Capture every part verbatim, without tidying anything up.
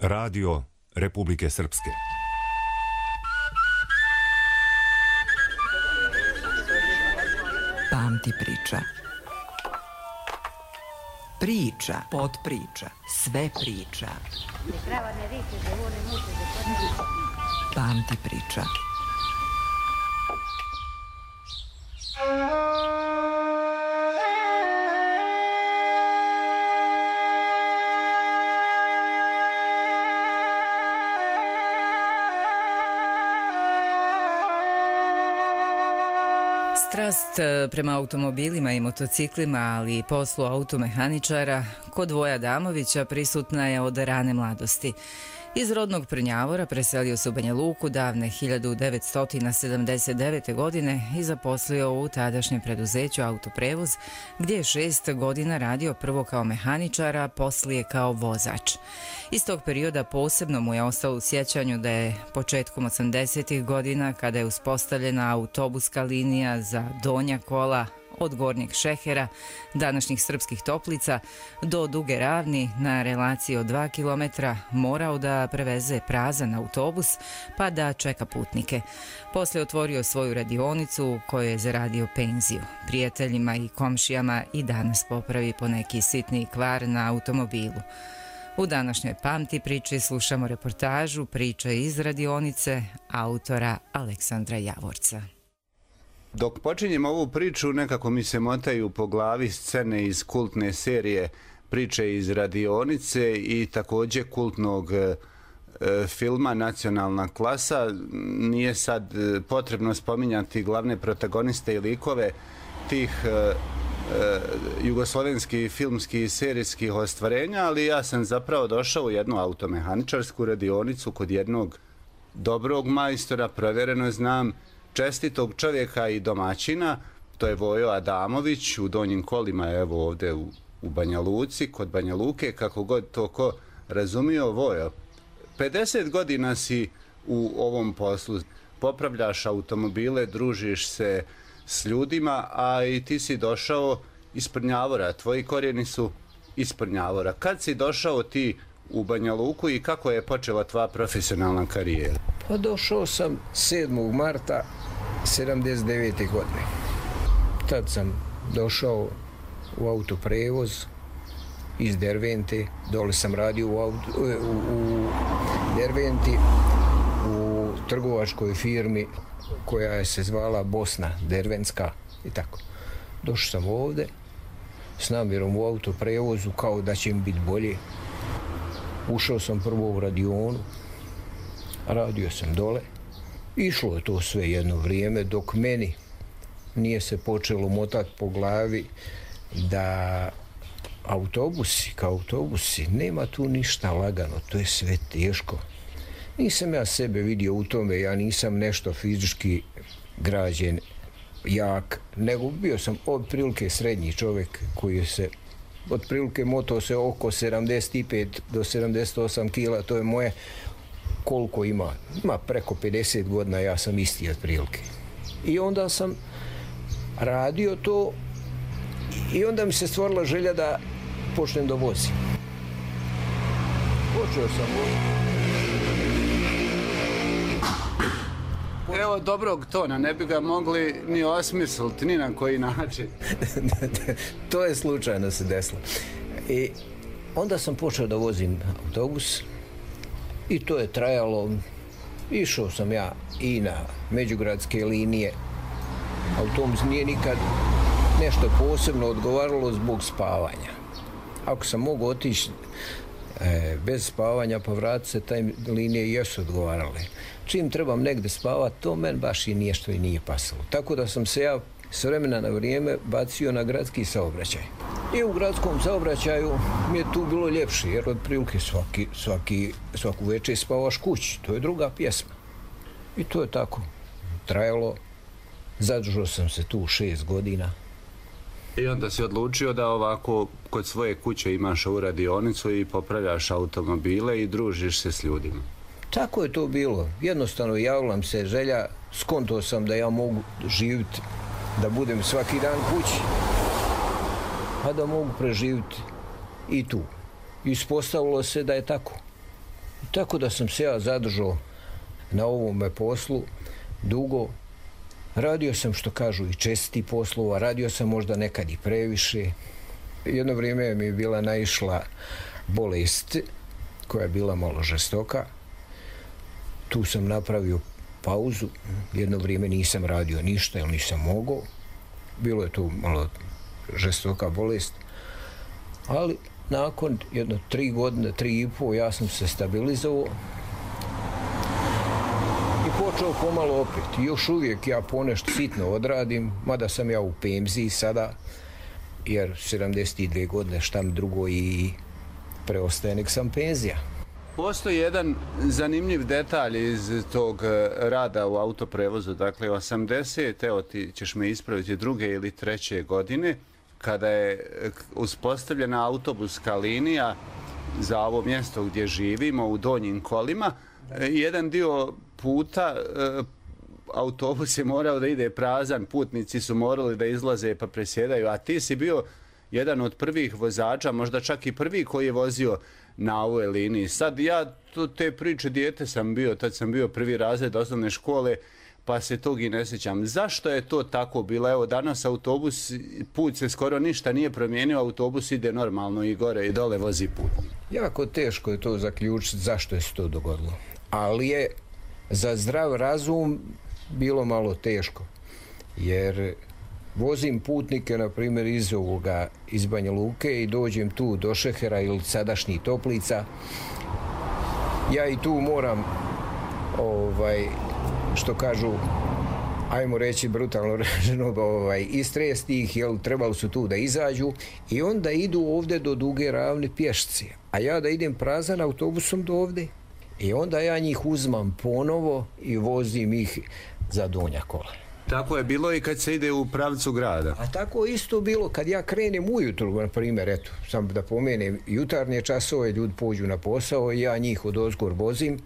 Radio Republike Srpske. Pamti priča. Priča, potpriča, sve priča. Pamti priča. Strast prema automobilima i motociklima, ali i poslu automehaničara, kod Voja Adamovića prisutna je od rane mladosti. Iz rodnog Prnjavora preselio se u Banja Luku davne hiljadu devetsto sedamdeset devete. godine i zaposlio u tadašnjem preduzeću Autoprevoz, gdje je šest godina radio prvo kao mehaničar, a poslije kao vozač. Iz tog perioda posebno mu je ostalo u sjećanju da je početkom osamdesetih godina, kada je uspostavljena autobuska linija za donja kola od Gornjeg Šehera, današnjih Srpskih Toplica, do Duge Ravni na relaciji od dva kilometra, morao da preveze prazan autobus pa da čeka putnike. Poslije otvorio svoju radionicu u kojoj je zaradio penziju. Prijateljima i komšijama i danas popravi poneki sitni kvar na automobilu. U današnjoj Pamti priči slušamo reportažu Priče iz radionice autora Aleksandra Javorca. Dok počinjem ovu priču, nekako mi se motaju po glavi scene iz kultne serije Priče iz radionice i također kultnog e, filma Nacionalna klasa. Nije sad potrebno spominjati glavne protagoniste i likove tih e, e, jugoslovenskih filmskih i serijskih ostvarenja, ali ja sam zapravo došao u jednu automehaničarsku radionicu kod jednog dobrog majstora, provjereno znam, čestitog čovjeka i domaćina. To je Vojo Adamović u Donjim Kolima, evo ovdje u, u Banja Luci, kod Banja Luke, kako god to ko razumio. Vojo, pedeset godina si u ovom poslu, popravljaš automobile, družiš se s ljudima, a i ti si došao iz Prnjavora, tvoji korijeni su iz Prnjavora. Kad si došao ti u Banja Luku i kako je počela tvoja profesionalna karijera? Pa došao sam sedmog marta sedamdeset devete. godine. Tad sam došao u Autoprevoz iz Dervente. Dole sam radio u, auto, u, u Derventi u trgovačkoj firmi koja je se zvala Bosna Dervenska i tako. Došao sam ovde s namjerom u Autoprevozu kao da će mi biti bolje. Ušao sam prvo u radionu, radio sam dole. Išlo je to sve jedno vrijeme dok meni nije se počelo motati po glavi da autobusi kao autobusi, nema tu ništa lagano, to je sve teško. Nisam ja sebe vidio u tome, ja nisam nešto fizički građen, jak, nego bio sam otprilike srednji čovjek koji se otprilike motao se oko sedamdeset pet do sedamdeset osam kila, to je moje. Koliko ima? Ima preko pedeset godina, ja sam isti otprilike. I onda sam radio to i onda mi se stvorila želja da počnem da vozim. Počeo sam voziti. Evo dobrog tona, ne bi ga mogli ni osmisliti, ni na koji način. To je slučajno se desilo. I onda sam počeo da vozim autobus i to je trajalo. Išao sam ja i na međugradske linije. Autobus nije nikad nešto posebno odgovaralo zbog spavanja. Ako sam mogao otići e, bez spavanja pa vratiti se, taj linije jesu odgovarale. Čim trebam negde spavati, to men baš i nije što i nije pasalo. Tako da sam se ja s vremena na vrijeme bacio na gradski saobraćaj. I u gradskom saobraćaju mi je tu bilo ljepše, jer otprilike svaki, svaki, svaku večer spavaš kući. To je druga pjesma. I to je tako trajalo. Zadržao sam se tu šest godina. I onda si odlučio da ovako kod svoje kuće imaš ovu radionicu i popravljaš automobile i družiš se s ljudima. Tako je to bilo. Jednostavno javila se želja, skontao sam da ja mogu živjeti, da budem svaki dan kući, a da mogu preživjeti i tu. Ispostavilo se da je tako. Tako da sam se ja zadržao na ovome poslu dugo. Radio sam, što kažu, i česti poslova, radio sam možda nekad i previše. Jedno vrijeme mi je bila naišla bolest koja je bila malo žestoka. Tu sam napravio pauzu, jedno vrijeme nisam radio ništa jer nisam mogao. Bilo je tu malo žestoka bolest, ali nakon jedno tri godine, tri i pol, ja sam se stabilizovao i počeo pomalo opet. I još uvijek ja ponešto sitno odradim, mada sam ja u penziji sada, jer sedamdeset dvije godine šta mi drugo i preostaje nek sam penzija. Postoji jedan zanimljiv detalj iz tog rada u autoprevozu. Dakle, osamdesete, evo ti ćeš me ispraviti, druge ili treće godine, kada je uspostavljena autobuska linija za ovo mjesto gdje živimo u Donjim Kolima, jedan dio puta autobus je morao da ide prazan, putnici su morali da izlaze pa presjedaju, a ti si bio jedan od prvih vozača, možda čak i prvi koji je vozio na ovoj liniji. Sad ja te priče, dijete sam bio, tad sam bio prvi razred osnovne škole, pa se tog i ne sjećam. Zašto je to tako bilo? Evo, danas autobus, put se skoro ništa nije promijenio, autobus ide normalno i gore i dole vozi put. Jako teško je to zaključiti zašto je se to dogodilo. Ali je za zdrav razum bilo malo teško, jer vozim putnike, na primjer, iz ovoga, iz Banja Luke i dođem tu do Šehera ili sadašnjih Toplica. Ja i tu moram, ovaj, što kažu, ajmo reći brutalno rečeno, ovaj, istresti ih, jer trebali su tu da izađu i onda idu ovdje do Duge Ravne pješci. A ja da idem prazan autobusom do ovdje i onda ja njih uzmam ponovo i vozim ih za Donja Kola. Tako je bilo i kad se ide u pravcu grada. A tako isto bilo kad ja krenem ujutru, na primjer, eto, sam da pomenem, jutarnje časove, ljudi pođu na posao i ja njih od ozgor vozim,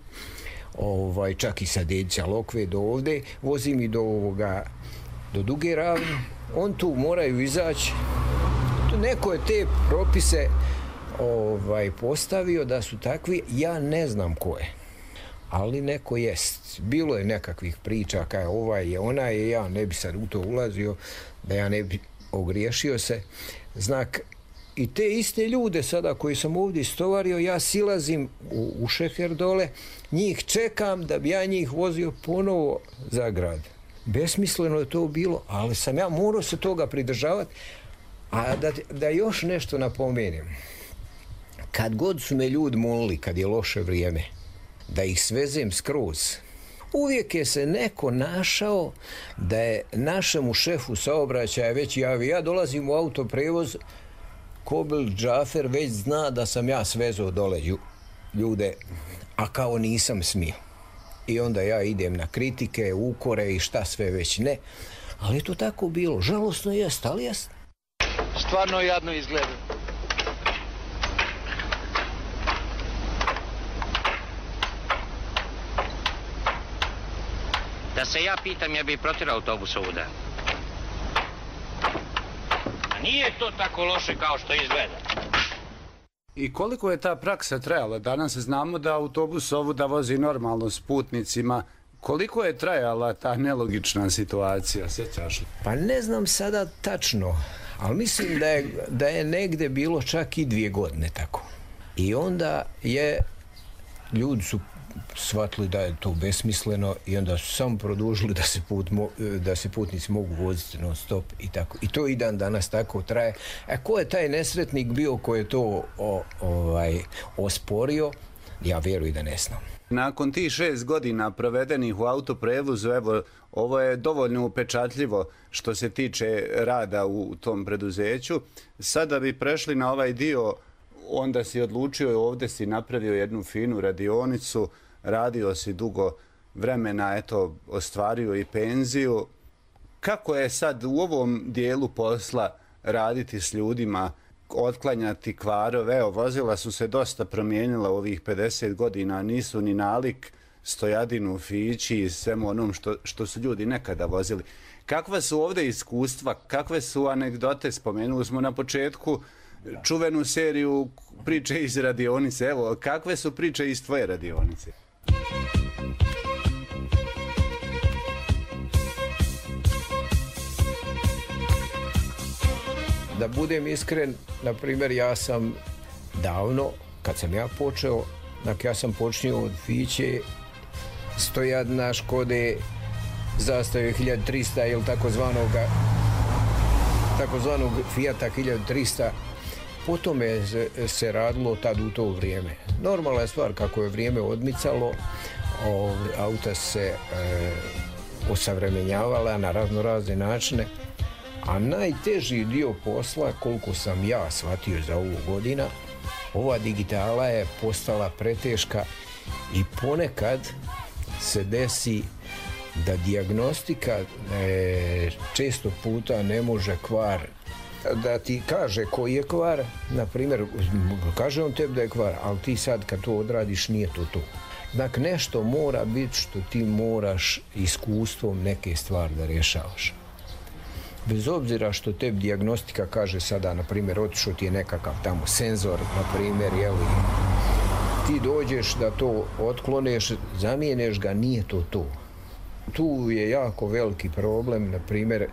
ovaj, čak i sa Dedića Lokve do ovde, vozim i do ovoga, do Duge Ravne. On tu moraju izaći. Neko je te propise ovaj, postavio da su takvi, ja ne znam ko je. Ali neko jest. Bilo je nekakvih priča kaj ovaj je onaj je, ja ne bi sad u to ulazio, da ja ne bi ogriješio se. Znak, i te iste ljude sada koji sam ovdje istovario, ja silazim u, u Šeher dole, njih čekam da bi ja njih vozio ponovo za grad. Besmisleno je to bilo, ali sam ja morao se toga pridržavati. A da, da još nešto napomenem. Kad god su me ljudi molili, kad je loše vrijeme, da ih svezem skroz, uvijek je se neko našao da je našemu šefu saobraćaja već javio. Ja dolazim u autoprevoz, Kobil Džafer već zna da sam ja svezao dole ljude, a kao nisam smio. I onda ja idem na kritike, ukore i šta sve već ne. Ali je to tako bilo. Žalosno jest, ali jest. Stvarno jadno izgleda. Da se ja pitam, ja bih protirao autobus ovuda. A nije to tako loše kao što izgleda. I koliko je ta praksa trajala? Danas znamo da autobus ovuda vozi normalno s putnicima. Koliko je trajala ta nelogična situacija? Sjećaš li? Pa ne znam sada tačno, ali mislim da je, da je negde bilo čak i dvije godine tako. I onda je, ljudi su shvatili da je to besmisleno i onda su samo produžili da se, put, da se putnici mogu voziti non stop i tako. I to i dan danas tako traje. A ko je taj nesretnik bio koji je to o, ovaj, osporio, ja vjerujem da ne znam. Nakon tih šest godina provedenih u autoprevozu, evo, ovo je dovoljno upečatljivo što se tiče rada u tom preduzeću. Sada bi prešli na ovaj dio, onda si odlučio, ovdje si napravio jednu finu radionicu, radio si dugo vremena, eto, ostvario i penziju. Kako je sad u ovom dijelu posla raditi s ljudima, otklanjati kvarove? Evo, vozila su se dosta promijenila u ovih pedeset godina, nisu ni nalik stojadinu, fići i svemu onom što, što su ljudi nekada vozili. Kakva su ovdje iskustva, kakve su anegdote? Spomenuli smo na početku čuvenu seriju priče iz radionice. Evo, kakve su priče iz tvoje radionice? Da budem iskren, na primjer, ja sam davno, kad sam ja počeo, dakle, ja sam počinio od Fiće, stojadna, Škode, Zastave hiljadu trista ili takozvanog takozvanog Fijata hiljadu trista. Potom je se radilo tad u to vrijeme. Normalna je stvar, kako je vrijeme odmicalo, auta se e, osavremenjavala na razno razne načine, a najteži dio posla, koliko sam ja shvatio za ovu godina, ova digitala je postala preteška i ponekad se desi da dijagnostika e, često puta ne može kvar da ti kaže koji je kvar, na primjer, kaže on tebi da je kvar, ali ti sad kad to odradiš nije to to. Dakle, nešto mora biti što ti moraš iskustvom neke stvari da rješavaš. Bez obzira što tebi dijagnostika kaže sada, na primjer, otišao ti je nekakav tamo senzor, na primjer, jeli, ti dođeš da to otkloneš, zamijeneš ga, nije to to. Tu je jako veliki problem, na primjer,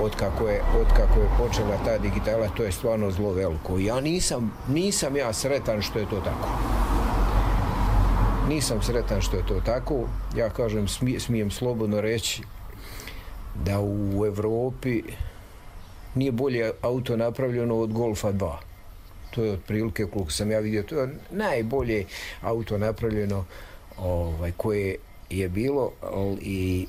otkako je, otkako je počela ta digitala, to je stvarno zlo veliko. Ja nisam, nisam ja sretan što je to tako. Nisam sretan što je to tako. Ja kažem, smije, smijem slobodno reći da u Evropi nije bolje auto napravljeno od Golfa dva. To je otprilike, koliko sam ja vidio, to je najbolje auto napravljeno ovaj, koje je bilo i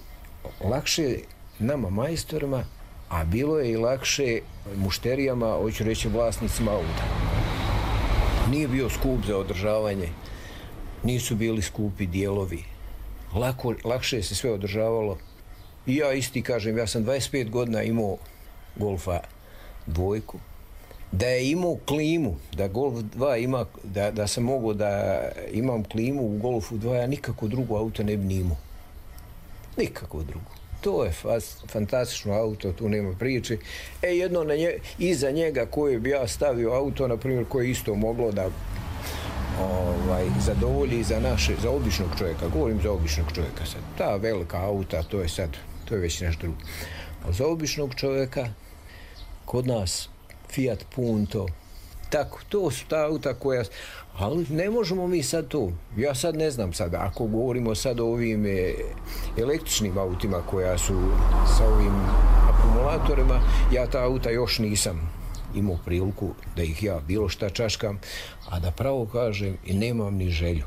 lakše nama majstorima, a bilo je i lakše mušterijama, hoću reći vlasnicima auta. Nije bio skup za održavanje, nisu bili skupi dijelovi. Lako, lakše se sve održavalo. I ja isti kažem, ja sam dvadeset pet godina imao Golfa dvojku. Da je imao klimu, da Golf dva ima, da, da sam mogao da imam klimu u Golfu dva, ja nikako drugo auto ne bi ni imao. Nikako drugo. To je fast, fantastično auto, tu nema priče. E, jedno na nje, iza njega koje bi ja stavio auto, na primjer, koje isto moglo da ovaj, zadovolji za naše, za običnog čovjeka, govorim za običnog čovjeka sad. Ta velika auta, to je sad, to je već nešto drugo. A za običnog čovjeka, kod nas, Fiat Punto, tako, to su ta auta koja, ali ne možemo mi sad to, ja sad ne znam sad, ako govorimo sad o ovim e, električnim autima koja su sa ovim akumulatorima, ja ta auta još nisam imao priliku da ih ja bilo šta čaškam, a da pravo kažem i nemam ni želju.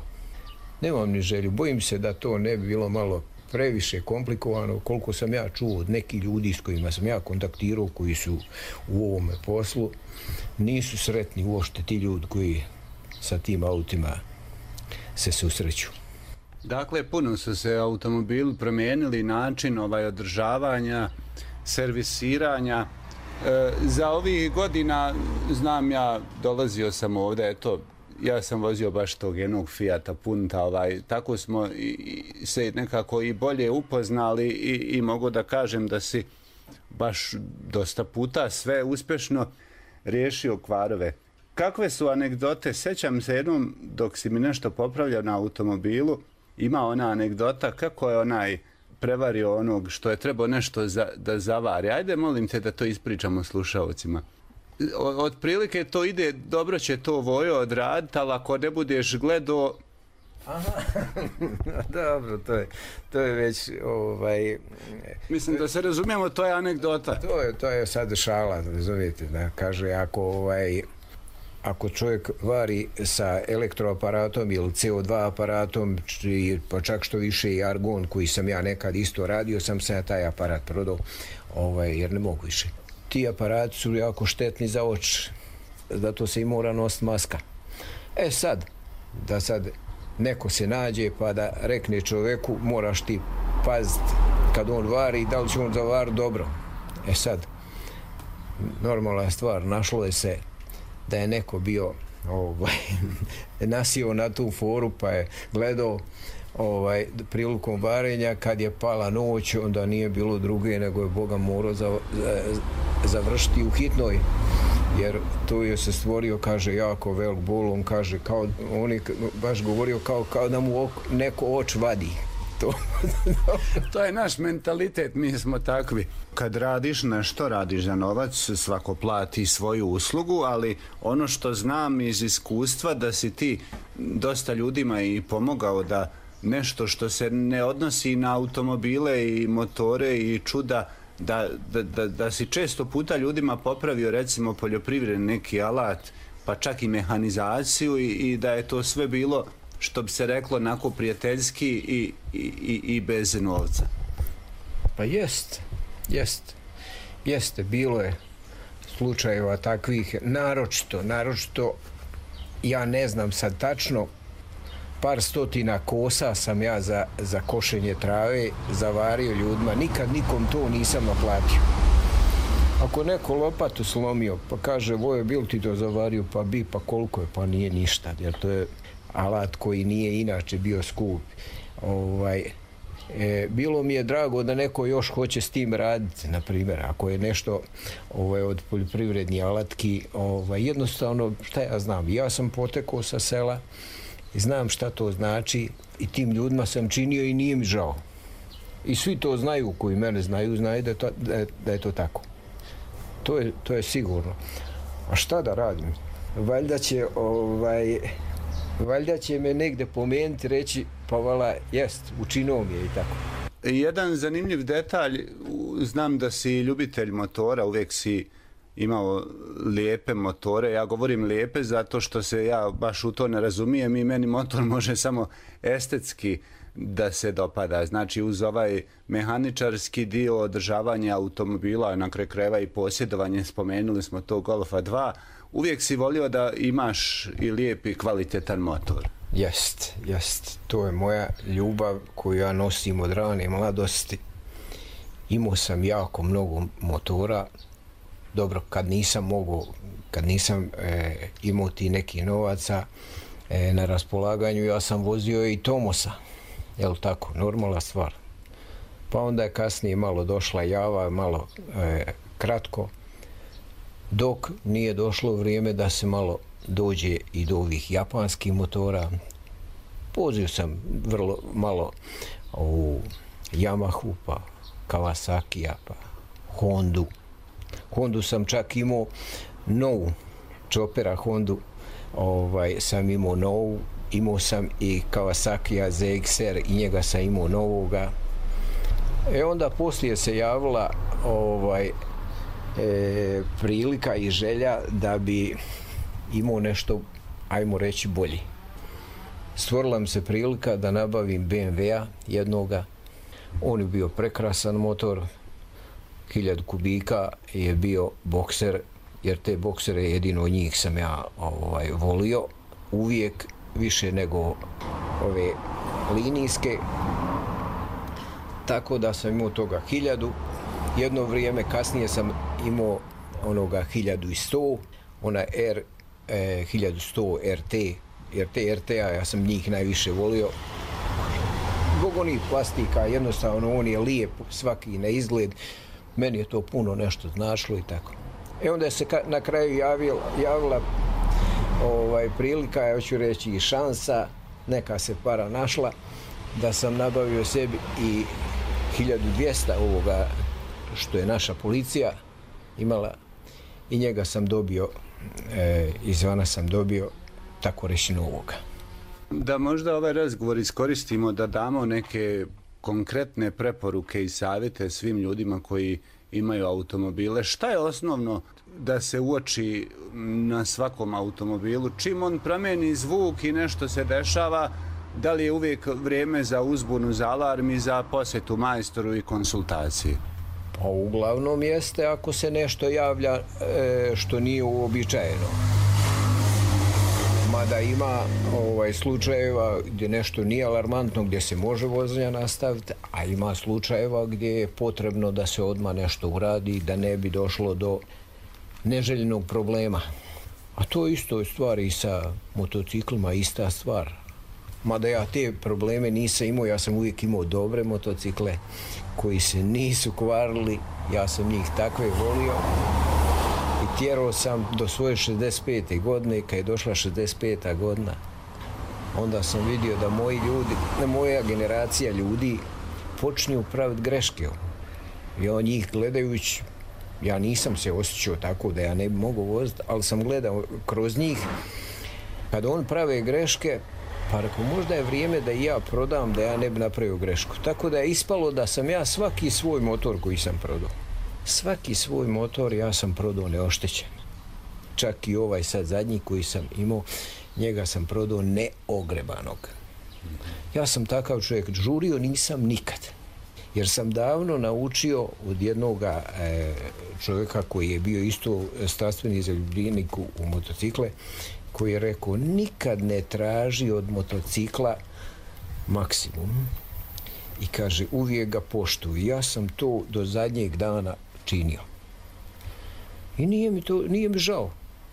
Nemam ni želju, bojim se da to ne bi bilo malo previše komplikovano, koliko sam ja čuo od nekih ljudi s kojima sam ja kontaktirao, koji su u ovome poslu, nisu sretni uopšte ti ljudi koji sa tim autima se susreću. Dakle, puno su se automobili promijenili, način ovaj održavanja, servisiranja. E, za ovih godina, znam ja, dolazio sam ovdje, eto, ja sam vozio baš tog jednog Fijata Punta, ovaj, tako smo i, i se nekako i bolje upoznali i, i mogu da kažem da si baš dosta puta sve uspješno riješio kvarove. Kakve su anegdote? Sjećam se jednom dok si mi nešto popravljao na automobilu, ima ona anegdota kako je onaj prevario onog što je trebao nešto za, da zavari. Ajde, molim te da to ispričamo slušalcima. Otprilike to ide, dobro će to Vojo odraditi, ali ako ne budeš gledao... Aha, dobro, to je, to je već... Ovaj, mislim da se razumijemo, to je anegdota. To je, to je sad šala, razumijete, da kaže, ako, ovaj, ako čovjek vari sa elektroaparatom ili C O dva aparatom, pa čak što više i argon koji sam ja nekad isto radio, sam se ja taj aparat prodao, ovaj, jer ne mogu više. Ti aparati su jako štetni za oči, zato se i mora nositi maska. E sad, da sad neko se nađe pa da rekne čovjeku, moraš ti paziti kad on vari, da li će on zavariti dobro. E sad, normalna stvar, našlo je se da je neko bio ovaj, nasio na tu foru pa je gledao ovaj, prilikom varenja, kad je pala noć, onda nije bilo druge nego je Boga morao za, za, završiti u hitnoj. jer tu je se stvorio, kaže, jako velik bol, on kaže, kao, on je baš govorio kao, kao da mu ok, neko oč vadi. To. To je naš mentalitet, mi smo takvi. Kad radiš nešto, radiš za novac, svako plati svoju uslugu, ali ono što znam iz iskustva da si ti dosta ljudima i pomogao da nešto što se ne odnosi na automobile i motore i čuda, da, da, da, da si često puta ljudima popravio recimo poljoprivredni neki alat, pa čak i mehanizaciju i, i da je to sve bilo, što bi se reklo, onako prijateljski i, i, i bez novca. Pa jest, jest, jeste, bilo je slučajeva takvih, naročito, naročito, ja ne znam sad tačno, par stotina kosa sam ja za, za košenje trave zavario ljudima, nikad nikom to nisam naplatio. Ako neko lopatu slomio, pa kaže, Vojo, bil ti to zavario, pa bi, pa koliko je, pa nije ništa, jer to je alat koji nije inače bio skup. Ovaj, e, bilo mi je drago da neko još hoće s tim raditi, na primjer, ako je nešto ovaj, od poljoprivrednih alatki, ovaj, jednostavno, šta ja znam, ja sam potekao sa sela i znam šta to znači i tim ljudima sam činio i nije mi žao. I svi to znaju, koji mene znaju, znaju da je to, da je, da je to tako. To je, to je sigurno. A šta da radim? Valjda će, ovaj, valjda će me negde pomenuti, reći, pa vala, jest, učinuo mi je i tako. Jedan zanimljiv detalj, znam da si ljubitelj motora, uvijek si imao lijepe motore. Ja govorim lijepe zato što se ja baš u to ne razumijem i meni motor može samo estetski da se dopada. Znači uz ovaj mehaničarski dio održavanja automobila, na kraju krajeva i posjedovanje, spomenuli smo to Golfa dva, uvijek si volio da imaš i lijep i kvalitetan motor. Jest, jest. To je moja ljubav koju ja nosim od rane mladosti. Imao sam jako mnogo motora. Dobro, kad nisam mogao, kad nisam e, imao ti neki novaca e, na raspolaganju, ja sam vozio i Tomosa. Jel tako? Normalna stvar. Pa onda je kasnije malo došla Java, malo e, kratko, dok nije došlo vrijeme da se malo dođe i do ovih japanskih motora. Vozio sam vrlo malo u Yamahu, pa Kawasakija, pa Hondu. Hondu sam čak imao novu, Chopera Hondu, ovaj, sam imao novu, imao sam i Kawasakija Z X R i njega sam imao novoga. E onda poslije se javila ovaj, e, prilika i želja da bi imao nešto, ajmo reći, bolji. Stvorila mi se prilika da nabavim B M W-a jednoga. On je bio prekrasan motor, hiljadu kubika je bio bokser, jer te boksere jedino njih sam ja ovaj, volio uvijek više nego ove linijske. Tako da sam imao toga hiljadu. Jedno vrijeme kasnije sam imao onoga hiljadu sto, ona R e, hiljadu sto R T, jer te R T-a ja sam njih najviše volio. Zbog onih plastika, jednostavno on je lijep svaki na izgled. Meni je to puno nešto značilo i tako. E onda se ka, na kraju javila, javila ovaj, prilika, ja ću reći i šansa, neka se para našla, da sam nabavio sebi i hiljadu dvjesto ovoga što je naša policija imala i njega sam dobio, e, izvana sam dobio, tako reći, novoga. Da možda ovaj razgovor iskoristimo da damo neke konkretne preporuke i savjete svim ljudima koji imaju automobile. Šta je osnovno da se uoči na svakom automobilu? Čim on promijeni zvuk i nešto se dešava, da li je uvijek vrijeme za uzbunu, za alarm i za posjetu majstoru i konsultaciji? Pa uglavnom jeste ako se nešto javlja e, što nije uobičajeno. Mada ima ovaj, slučajeva gdje nešto nije alarmantno, gdje se može vožnja nastaviti, a ima slučajeva gdje je potrebno da se odmah nešto uradi, da ne bi došlo do neželjenog problema. A to isto je stvar i sa motociklima, ista stvar. Mada ja te probleme nisam imao, ja sam uvijek imao dobre motocikle koji se nisu kvarili, ja sam njih takve volio. I tjerao sam do svoje šezdeset pete godine, kad je došla šezdeset peta godina, onda sam vidio da moji ljudi, da moja generacija ljudi počinju praviti greške. Ja njih gledajući, ja nisam se osjećao tako da ja ne bi mogao voziti, ali sam gledao kroz njih. Kad on prave greške, pa rekao, možda je vrijeme da i ja prodam, da ja ne bi napravio grešku. Tako da je ispalo da sam ja svaki svoj motor koji sam prodao, svaki svoj motor ja sam prodao neoštećen. Čak i ovaj sad zadnji koji sam imao, njega sam prodao neogrebanog. Ja sam takav čovjek, žurio nisam nikad. Jer sam davno naučio od jednog e, čovjeka koji je bio isto strastveni zaljubljenik u, u motocikle, koji je rekao, nikad ne traži od motocikla maksimum. I kaže, uvijek ga poštuj. Ja sam to do zadnjeg dana činio. I nije mi to, nije mi žao.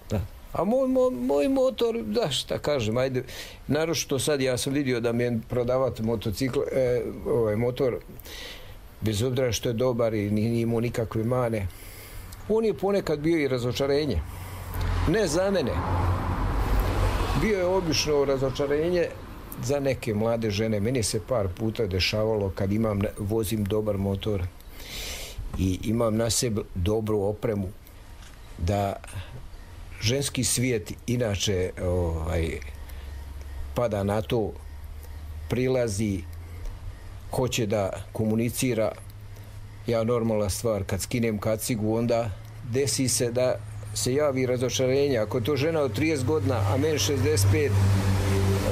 Da. A moj, moj, moj motor, da šta kažem, ajde, naročito sad ja sam vidio da mi je prodavati motocikl, e, ovaj motor, bez obzira što je dobar i nije imao nikakve mane, on je ponekad bio i razočarenje. Ne za mene. Bio je obično razočarenje za neke mlade žene. Meni se par puta dešavalo kad imam, vozim dobar motor i imam na sebi dobru opremu, da ženski svijet inače ovaj, pada na to, prilazi, hoće da komunicira. Ja normalna stvar, kad skinem kacigu, onda desi se da se javi razočarenje. Ako je to žena od trideset godina, a meni šezdeset pet,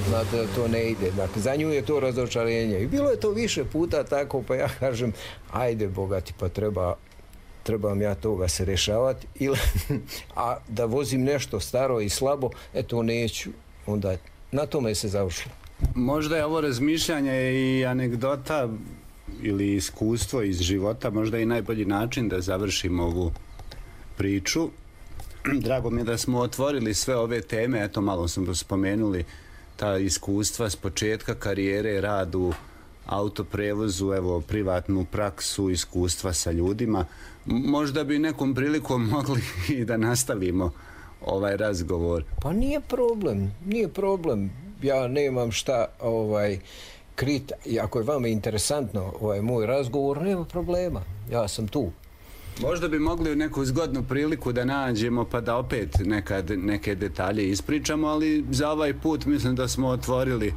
znate da to ne ide. Dakle, za nju je to razočarenje. I bilo je to više puta tako, pa ja kažem, ajde bogati, pa treba trebam ja toga se rešavati, ili, a da vozim nešto staro i slabo, eto neću, onda na tome se završilo. Možda je ovo razmišljanje i anegdota ili iskustvo iz života, možda i najbolji način da završimo ovu priču. Drago mi je da smo otvorili sve ove teme, eto malo smo spomenuli ta iskustva s početka karijere, rad u autoprevozu, evo privatnu praksu, iskustva sa ljudima. Možda bi nekom prilikom mogli i da nastavimo ovaj razgovor. Pa nije problem, nije problem. Ja nemam šta ovaj krit, ako je vama interesantno ovaj moj razgovor, nema problema. Ja sam tu. Možda bi mogli u neku zgodnu priliku da nađemo pa da opet nekad neke detalje ispričamo, ali za ovaj put mislim da smo otvorili.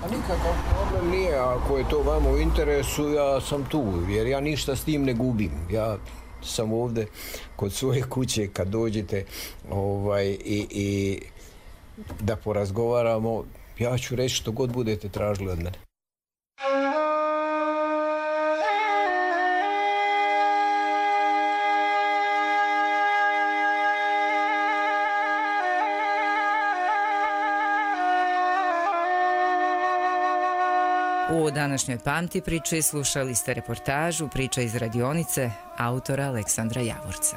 A nikakav problem nije, ako je to vama u interesu, ja sam tu, jer ja ništa s tim ne gubim. Ja sam ovdje kod svoje kuće kad dođete ovaj, i, i da porazgovaramo, ja ću reći što god budete tražili od mene. U današnjoj Pamti priči slušali ste reportažu Priča iz radionice autora Aleksandra Javorca.